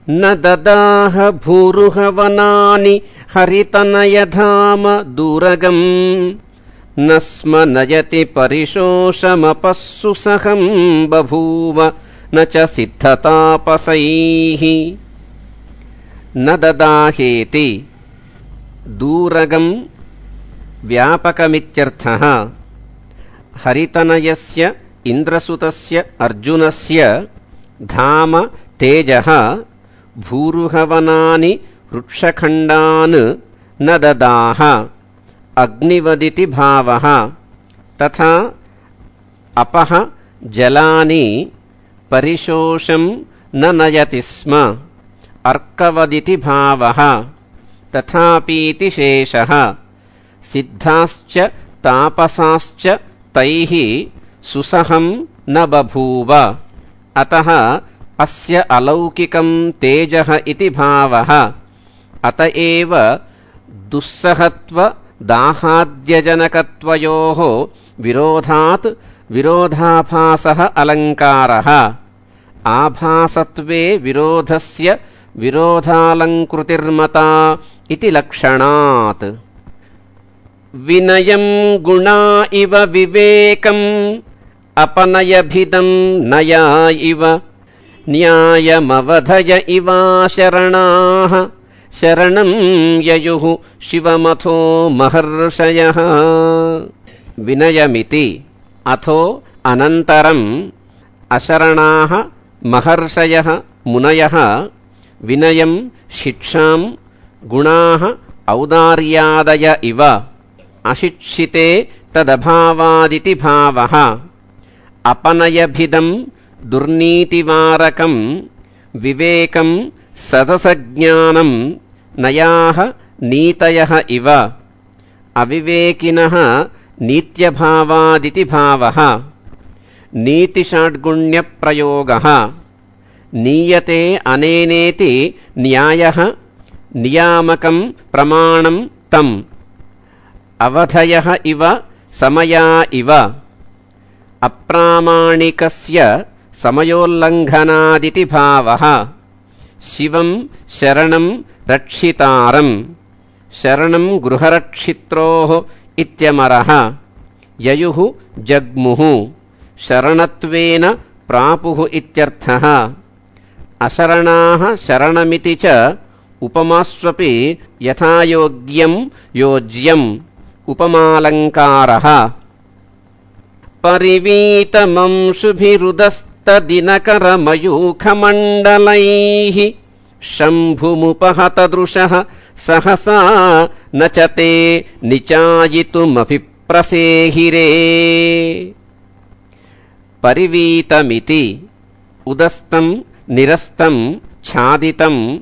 न ददाह भूरुहवनानि हरितनयधाम दूरगम् न स्म नयति परिशोषमपस्सु सहं बभूव न च सिद्धतापसैः। न ददाहेति दूरगम् व्यापकमित्यर्थः। हरितनयस्य इन्द्रसुतस्य अर्जुनस्य धाम तेजः भूरुहवनानि वृक्षखण्डान् न ददाह अग्निवदिति भावः। तथा अपः जलानि परिशोषं न नयति स्म अर्कवदिति भावः। तथापीति शेषः। सिद्धाश्च तापसाश्च तैः सुसहं न बभूव। अतः अस्य अलौकिकं तेजः इति भावः। अत एव दुस्सहत्व दाहाद्यजनकत्वयोः विरोधात् विरोधाभासः अलङ्कारः। आभासत्वे विरोधस्य विरोधालङ्कृतिर्मता इति लक्षणात्। विनयं गुणा इव विवेकम् अपनयभिदं नया इव न्यायमवधय इवाशरणाः शरणं ययुः शिवमथो महर्षयः। विनयमिति अथो अनन्तरम् अशरणाः महर्षयः मुनयः विनयं शिक्षां गुणाः औदार्यादय इव अशिक्षिते तदभावादिति भावः। अपनयभिदं दुर्नीतिवारकं विवेकं सदसज्ञानं नयाः नीतयः इव अविवेकिनः नीत्यभावादिति भावः। नीतिषाड्गुण्यप्रयोगः। नीयते अनेनेति न्यायः नियामकं प्रमाणं तम् अवधयः इव समया इव अप्रामाणिकस्य समयोल्लङ्घनादिति भावः। शिवं शरणं रक्षितारं शरणं गृहरक्षित्रोः इत्यमरः। ययुः जग्मुः शरणत्वेन प्रापुः इत्यर्थः। अशरणाः शरणमिति च उपमास्वपि यथायोग्यं योज्यम् उपमालङ्कारः। परिवीतमंशुभिरुदस्तदिनकरमयूखमण्डलैः शम्भुमुपहतदृशः सहसा न च ते निचायितुमभिप्रसेहिरे। परिवीतमिति उदस्तं निरस्तं छादितं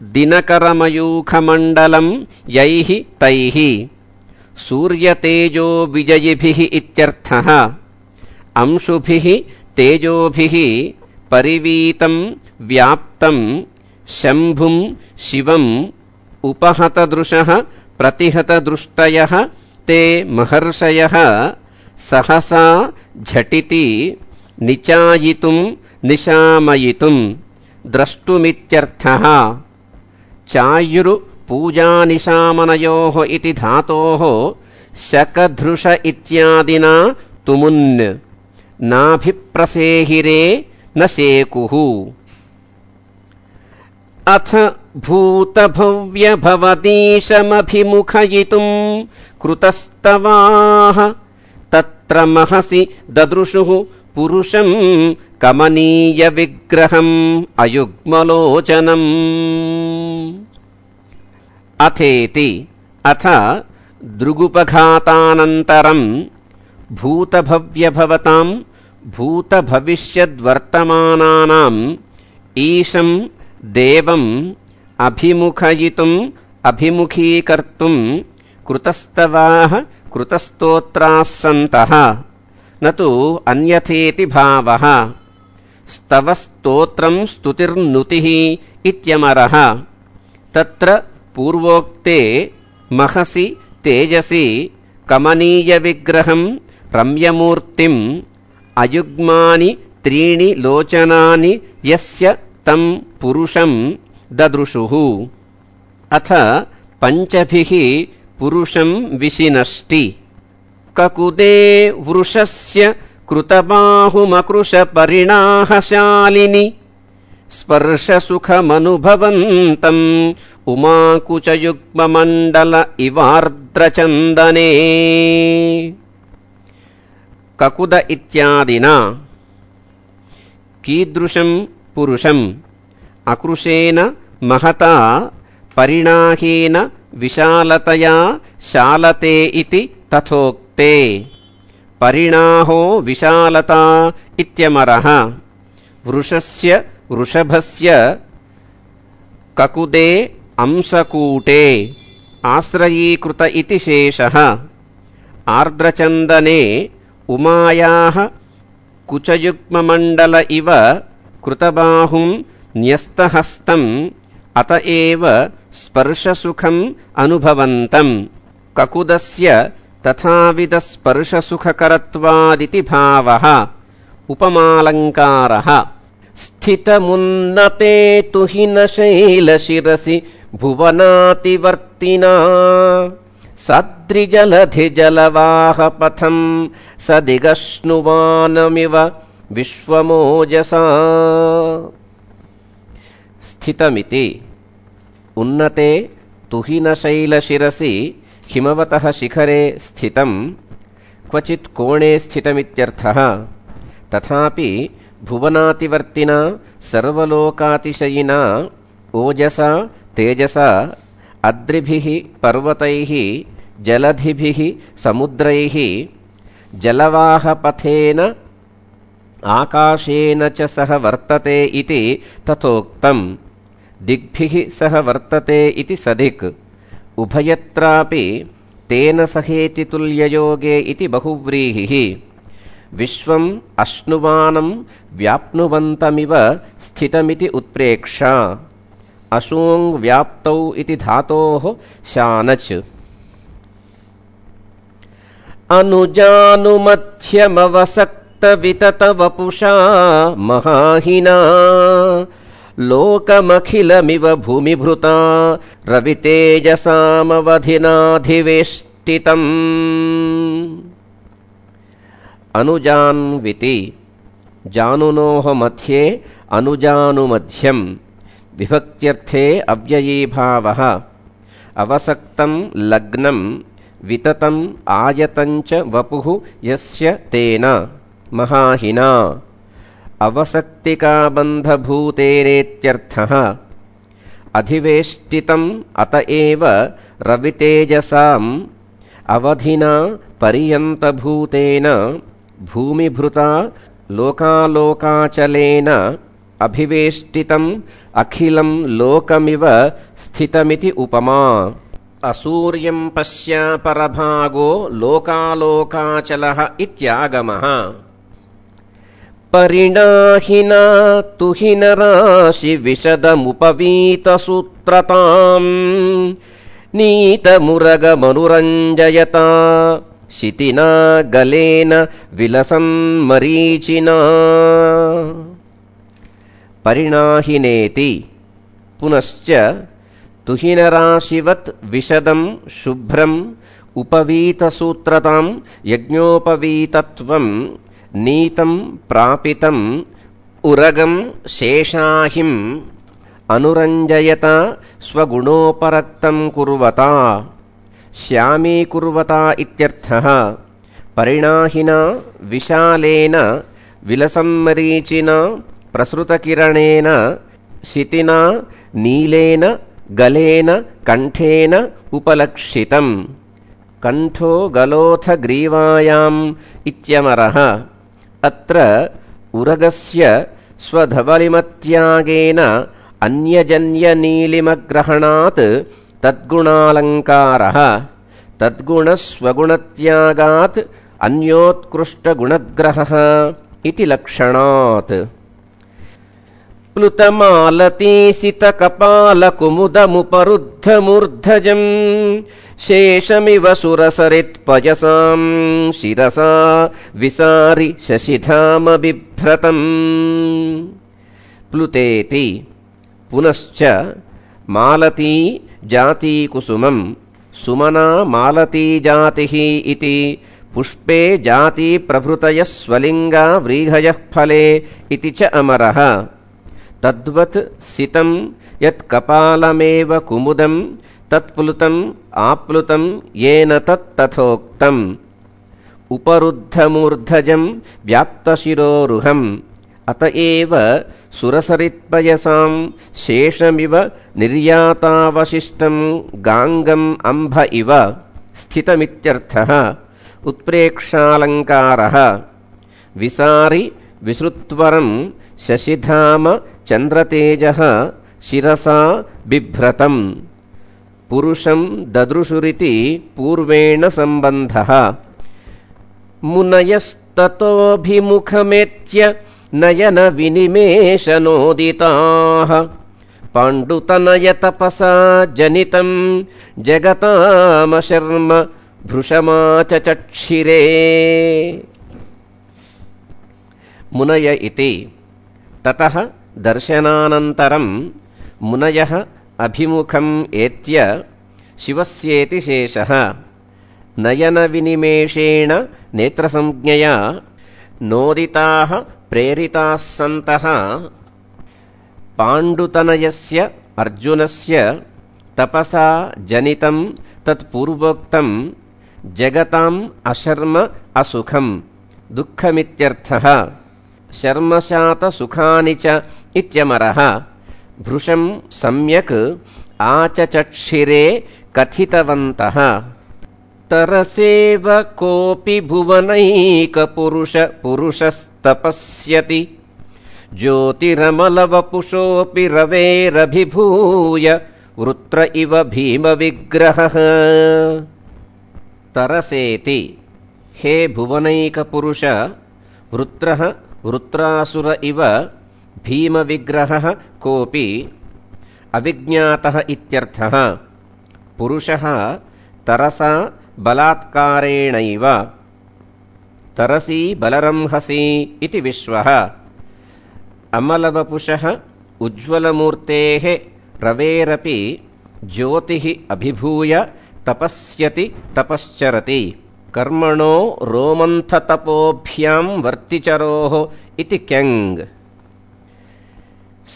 दिनकरमयूखमण्डलं यैः तैः सूर्यतेजो विजयिभिः इत्यर्थः। अंशुभिः तेजोभिः परिवीतं व्याप्तं शम्भुं शिवम् उपहतदृशः प्रतिहतदृष्टयः ते महर्षयः सहसा झटिति निचायितुं निशामयितुं द्रष्टुमित्यर्थः। चायुरुपूजानिशामनयोः इति धातोः शकधृष इत्यादिना तुमुन् नाभिप्रसेहिरे न शेकुः। अथ भूतभव्यभवतीशमभिमुखयितुं कृतस्तवाः तत्र महसि ददृशुः पुरुषं कमनीयविग्रहम् अयुग्मलोचनम्। अथेति अथ दृगुपघातानन्तरं भूतभव्यभवतां भूतभविष्यद्वर्तमानानाम् ईशं देवम् अभिमुखयितुम् अभिमुखीकर्तुं कृतस्तवाः कृतस्तोत्राः सन्तः न तु अन्यथेति भावः। स्तवस्तोत्रं स्तुतिर्नुतिः इत्यमरः। तत्र पूर्वोक्ते महसि तेजसि कमनीयविग्रहं रम्यमूर्तिम् अयुग्मानि त्रीणि लोचनानि यस्य तं पुरुषं ददृशुः। अथ पञ्चभिः पुरुषं विशिनष्टि। ककुदे वृषस्य कृतबाहुमकृशपरिणाहशालिनि स्पर्शसुखमनुभवन्तम् उमाकुचयुग्ममण्डल इवार्द्रचन्दने। ककुद इत्यादिना कीदृशं पुरुषम् अकृशेन महता परिणाहेन विशालतया शालते इति तथोक्ते। परिणाहो विशालता इत्यमरः। वृषस्य वृषभस्य ककुदे अंशकूटे आश्रयीकृत इति शेषः। आर्द्रचन्दने उमायाः कुचयुग्ममण्डल इव कृतबाहुं न्यस्तहस्तम् अत एव स्पर्शसुखम् अनुभवन्तम्। ककुदस्य तथाविधस्पर्शसुखकरत्वादिति भावः। उपमालङ्कारः। स्थितमुन्नते तुहिनशैलशिरसि भुवनातिवर्तिना सद्रिजलधिजलवाहपथं सदिगश्नुवानमिव विश्वमोजसा। स्थितमिति उन्नते तुहिनशैलशिरसि हिमवतः शिखरे स्थितं क्वचित् कोणे स्थितमित्यर्थः। तथापि भुवनातिवर्तिना सर्वलोकातिशयिना ओजसा तेजसा अद्रिभिः पर्वतैः जलधिभिः समुद्रैः जलवाहपथेन आकाशेन च सह वर्तते इति तथोक्तम्। दिग्भिः सह वर्तते इति सदिक्। उभयत्रापि तेन सहेति तुल्ययोगे इति बहुव्रीहिः। विश्वम् अश्नुवानं व्याप्नुवन्तमिव स्थितमिति उत्प्रेक्षा। अशूङ् व्याप्तौ इति धातोः शानच्। अनुजानुमध्यमवसक्तविततवपुषा महाहिना लोकमखिलमिव भूमिभृता रवितेजसामवधिनाधिवेष्टितम्। अनुजान्विति जानुनोः मध्ये अनुजानुमध्यम्। विभक्त्यर्थे अव्ययीभावः। अवसक्तं लग्नं विततम् आयतञ्च वपुः यस्य तेन महाहिना अवसक्तिकाबन्धभूतेरेत्यर्थः। अधिवेष्टितम् अत एव रवितेजसाम् अवधिना पर्यन्तभूतेन भूमिभृता लोकालोकाचलेन अभिवेष्टितम् अखिलं लोकमिव स्थितमिति उपमा। असूर्यं पश्य परभागो लोकालोकाचलः इत्यागमः। परिणाहिना तुहिनराशि विशदमुपवीतसूत्रताम् नीतमुरगमनुरञ्जयता शितिना गलेन विलसन्मरीचिना। परिणाहिनेति पुनश्च तुहिनराशिवत् विशदं शुभ्रम् उपवीतसूत्रतां यज्ञोपवीतत्वं नीतं प्रापितं उरगं शेषाहिम् अनुरञ्जयता स्वगुणोपरक्तं कुर्वता श्यामीकुर्वता इत्यर्थः। परिणाहिना विशालेन विलसन्मरीचिना प्रसृतकिरणेन शितिना नीलेन गलेन कण्ठेन उपलक्षितम्। कण्ठो गलोऽथ ग्रीवायाम् इत्यमरः। अत्र उरगस्य स्वधवलिमत्यागेन अन्यजन्यनीलिमग्रहणात् तद्गुणालङ्कारः। तद्गुणस्वगुणत्यागात् अन्योत्कृष्टगुणग्रहः इति लक्षणात्। प्लुतमालतीसितकपालकुमुदमुपरुद्धमूर्धजम् शेषमिव सुरसरित्पयसां शिरसा विसारि शशिधाम बिभ्रतम्। प्लुतेति पुनश्च मालती जाती कुसुमं सुमना मालती जातिः इति पुष्पे जाती प्रभृतयः स्वलिंगा व्रीहयः फले इति च अमरः तद्वत् सितं यत् कपालमेव कुमुदं तत्प्लुतम् आप्लुतं येन तत्तथोक्तम् उपरुद्धमूर्धजं व्याप्तशिरोरुहम् अत एव सुरसरित्पयसां शेषमिव निर्यातावशिष्टं गाङ्गम् अम्भ इव स्थितमित्यर्थः उत्प्रेक्षालङ्कारः विसारि विसृत्वरं शशिधाम चन्द्रतेजः शिरसा बिभ्रतम् पुरुषं ददृशुरिति पूर्वेण सम्बन्धः मुनयस्ततोऽभिमुखमेत्य नयन विनिमेषनोदिताः पाण्डुतनयतपसा जनितं जगतामशर्म भृशमाचचक्षिरे मुनय इति ततः दर्शनानन्तरं मुनयः अभिमुखम् एत्य शिवस्येति शेषः नयनविनिमेषेण नेत्रसंज्ञया नोदिताः प्रेरिताः सन्तः पाण्डुतनयस्य अर्जुनस्य तपसा जनितं तत्पूर्वोक्तं जगताम् अशर्म असुखं दुःखमित्यर्थः शर्मशातसुखानि च इत्यमरः भृशं सम्यक् आचचक्षिरे कथितवन्तः तरसेव कोऽपि भुवनैकपुरुषस्तपस्यति ज्योतिरमलवपुषोऽपि रवेरभिभूय वृत्र इव भीमविग्रहः तरसेति हे भुवनैकपुरुष वृत्रः वृत्रासुर इव भीमविग्रहः कोऽपि अविज्ञातः इत्यर्थः पुरुषः तरसा बलात्कारेणैव तरसी बलरंहसि इति विश्वः अमलवपुषः उज्ज्वलमूर्तेः रवेरपि ज्योतिः अभिभूय तपस्यति तपश्चरति कर्मणो रोमन्थतपोभ्यां वर्तिचरोः इति क्यङ्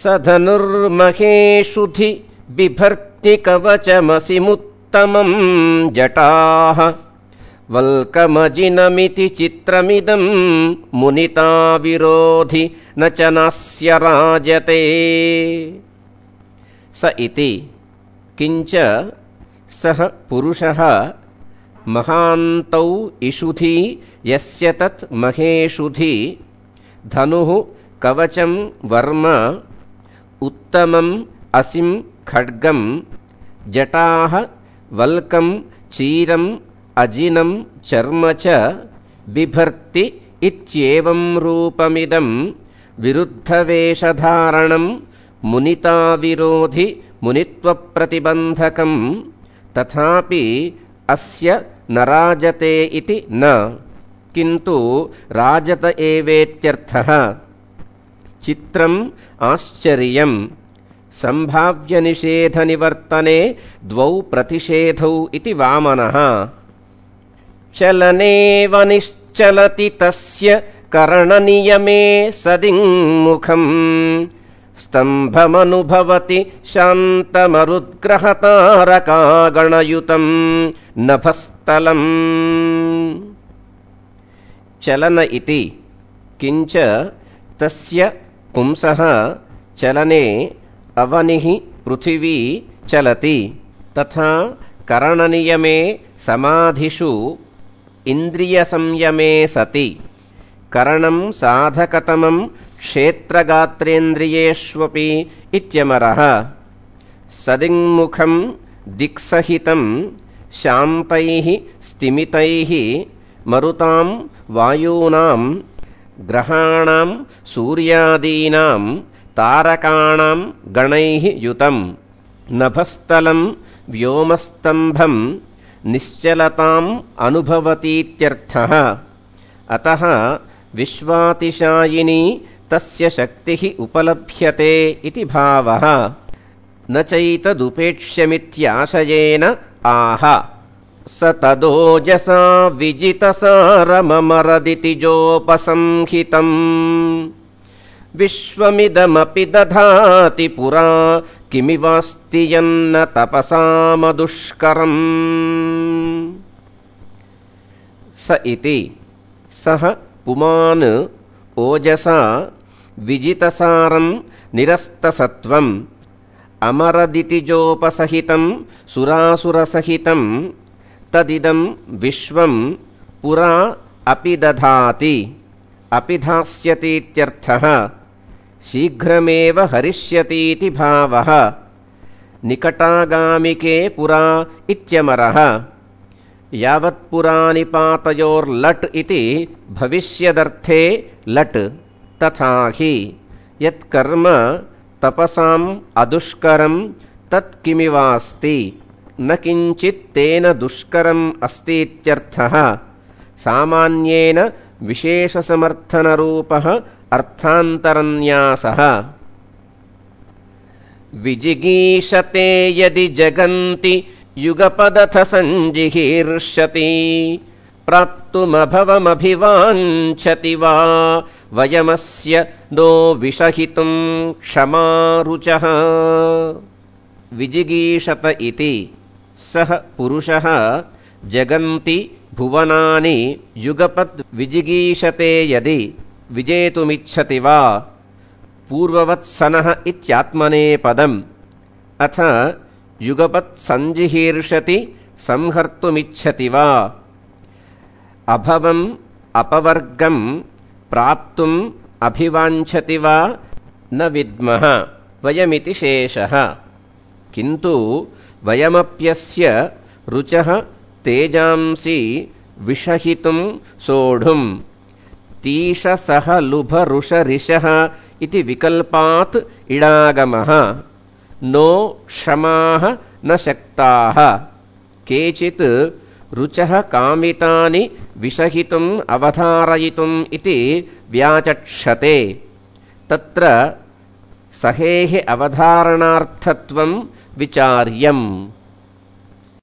स धनुर्महेषुधि बिभर्ति कवचमसिमुत्तमं जटाः वल्कमजिनमिति चित्रमिदं मुनिता विरोधि न च नास्य राजते स इति किञ्च सः पुरुषः महान्तौ इषुधि यस्य तत् महेषुधि धनुः कवचं वर्म उत्तमम् असिं खड्गं जटाः वल्कं चीरम् अजिनं चर्म च बिभर्ति इत्येवं रूपमिदं विरुद्धवेषधारणं मुनिताविरोधि मुनित्वप्रतिबन्धकं तथापि अस्य न राजते इति न किन्तु राजत एवेत्यर्थः चित्रम् आश्चर्यं सम्भाव्यनिषेधनिवर्तने द्वौ प्रतिषेधौ इति वामनः चलनेव निश्चलति तस्य करणनियमे सदिङ्मुखम् स्तम्भमनुभवति शान्तमरुद्ग्रहतारकागणयुतं नभस्थलम् चलन इति किञ्च तस्य पुंसः चलने अवनिः पृथिवी चलति तथा करणनियमे समाधिषु इन्द्रियसंयमे सति करणं साधकतमं क्षेत्रगात्रेन्द्रियेष्वपि इत्यमरः सदिङ्मुखं दिक्सहितं शान्तैः स्तिमितैः मरुतां वायूनां ग्रहाणां सूर्यादीनां तारकाणां गणैः युतं नभस्थलं व्योमस्तंभं निश्चलताम् अनुभवतीत्यर्थः अतः विश्वातिशायिनी तस्य शक्तिः उपलभ्यते इति भावः। न चैतदुपेक्ष्यमित्याशयेन आह। स तदोजसा विजितसारममरदिति जोपसंहितम्। विश्वमिदमपि दधाति पुरा किमिवास्ति यन्न तपसामदुष्करम्। स इति सः पुमान् ओजसा विजितसारं निरस्तसत्वम् अमरदिति जोपसहितं सुरासुरसहितं तदिदं विश्वं पुरा अपि दधाति अपि धास्यतीत्यर्थः। शीघ्रमेव हरिष्यतीति भावः। निकटागामिके पुरा इत्यमरः। यावत्पुरानिपातयोर्लट् इति भविष्यदर्थे लट्। तथा हि यत्कर्म तपसाम् अदुष्करं तत्किमिवास्ति न किञ्चित् तेन दुष्करम् अस्तीत्यर्थः। सामान्येन विशेषसमर्थनरूपः अर्थान्तरन्यासः। विजिगीषते यदि जगन्ति युगपदथ सञ्जिहीर्षति प्राप्तुमभवमभिवाञ्छति वा वयमस्य नो विषहितुं क्षमा रुचः। विजिगीषत इति सः पुरुषः जगन्ति भुवनानि युगपद् विजिगीषते यदि विजेतुमिच्छति वा। पूर्ववत्सनः इत्यात्मनेपदम्। अथ युगपत् सञ्जिहीर्षति संहर्तुमिच्छति वा। अभवम् अपवर्गं प्राप्तुम् अभिवाञ्छति वा न विद्मः वयमिति शेषः। किन्तु वयमप्यस्य रुचः तेजांसि विषहितुं सोढुं तीषसह लुभरुषरिषः इति विकल्पात् इडागमः। नो क्षमाः न शक्ताः। केचित् रुचः कामितानि विषहितुम् अवधारयितुम् इति व्याचक्षते। तत्र सहेः अवधारणार्थत्वं विचार्यम्।